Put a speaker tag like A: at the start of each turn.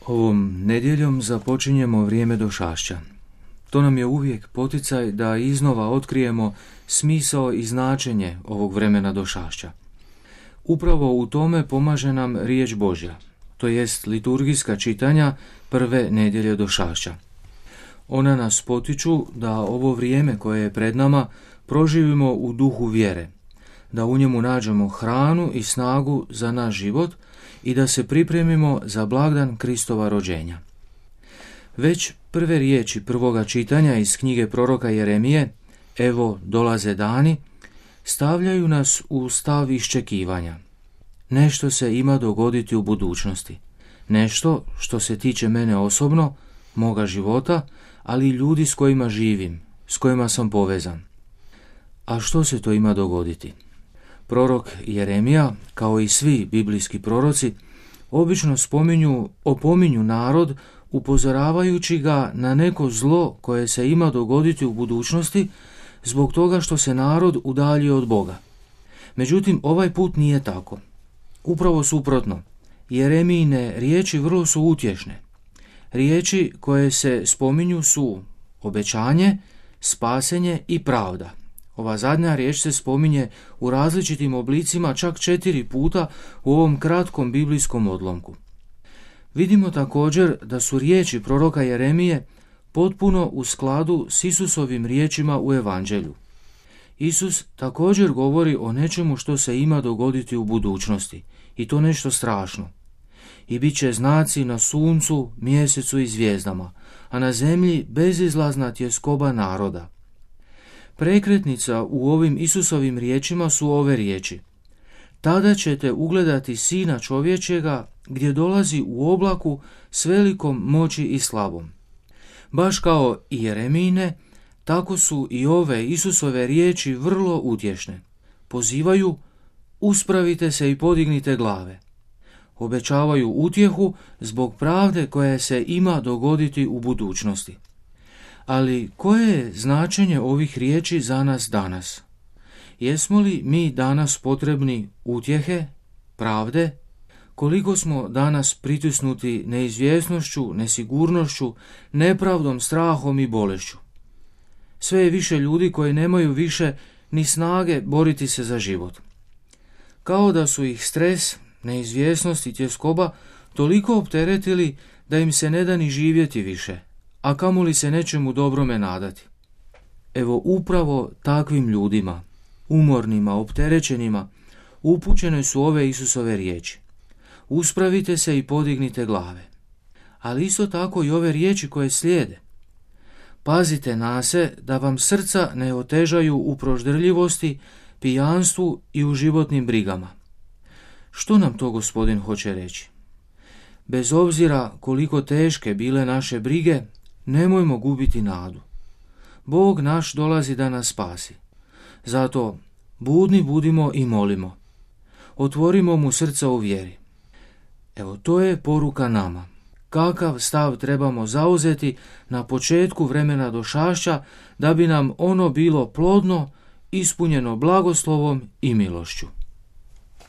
A: Ovom nedjeljom započinjemo vrijeme došašća. To nam je uvijek poticaj da iznova otkrijemo smisao i značenje ovog vremena došašća. Upravo u tome pomaže nam riječ Božja, to jest liturgijska čitanja prve nedjelje došašća. Ona nas potiču da ovo vrijeme koje je pred nama proživimo u duhu vjere, da u njemu nađemo hranu i snagu za naš život i da se pripremimo za blagdan Kristova rođenja. Već prve riječi prvoga čitanja iz knjige proroka Jeremije, evo dolaze dani, stavljaju nas u stav iščekivanja. Nešto se ima dogoditi u budućnosti. Nešto što se tiče mene osobno, moga života, ali i ljudi s kojima živim, s kojima sam povezan. A što se to ima dogoditi? Prorok Jeremija, kao i svi biblijski proroci, obično opominju narod upozoravajući ga na neko zlo koje se ima dogoditi u budućnosti zbog toga što se narod udaljio od Boga. Međutim, ovaj put nije tako. Upravo suprotno, Jeremijine riječi vrlo su utješne. Riječi koje se spominju su obećanje, spasenje i pravda. Ova zadnja riječ se spominje u različitim oblicima čak 4 puta u ovom kratkom biblijskom odlomku. Vidimo također da su riječi proroka Jeremije potpuno u skladu s Isusovim riječima u Evanđelju. Isus također govori o nečemu što se ima dogoditi u budućnosti, i to nešto strašno. I bit će znaci na suncu, mjesecu i zvijezdama, a na zemlji bezizlazna tjeskoba naroda. Prekretnica u ovim Isusovim riječima su ove riječi. Tada ćete ugledati Sina čovječjega gdje dolazi u oblaku s velikom moći i slavom. Baš kao i Jeremijine, tako su i ove Isusove riječi vrlo utješne. Pozivaju, uspravite se i podignite glave. Obećavaju utjehu zbog pravde koja se ima dogoditi u budućnosti. Ali koje je značenje ovih riječi za nas danas? Jesmo li mi danas potrebni utjehe, pravde? Koliko smo danas pritisnuti neizvjesnošću, nesigurnošću, nepravdom, strahom i bolešću? Sve je više ljudi koji nemaju više ni snage boriti se za život. Kao da su ih stres, neizvjesnost i tjeskoba toliko opteretili da im se ne da ni živjeti više, a kamoli se nečemu dobrome nadati. Evo upravo takvim ljudima, umornima, opterećenima, upućene su ove Isusove riječi. Uspravite se i podignite glave. Ali isto tako i ove riječi koje slijede. Pazite na se da vam srca ne otežaju u proždrljivosti, pijanstvu i u životnim brigama. Što nam to Gospodin hoće reći? Bez obzira koliko teške bile naše brige, nemojmo gubiti nadu. Bog naš dolazi da nas spasi. Zato budni budimo i molimo. Otvorimo mu srca u vjeri. Evo, to je poruka nama. Kakav stav trebamo zauzeti na početku vremena došašća da bi nam ono bilo plodno, ispunjeno blagoslovom i milošću.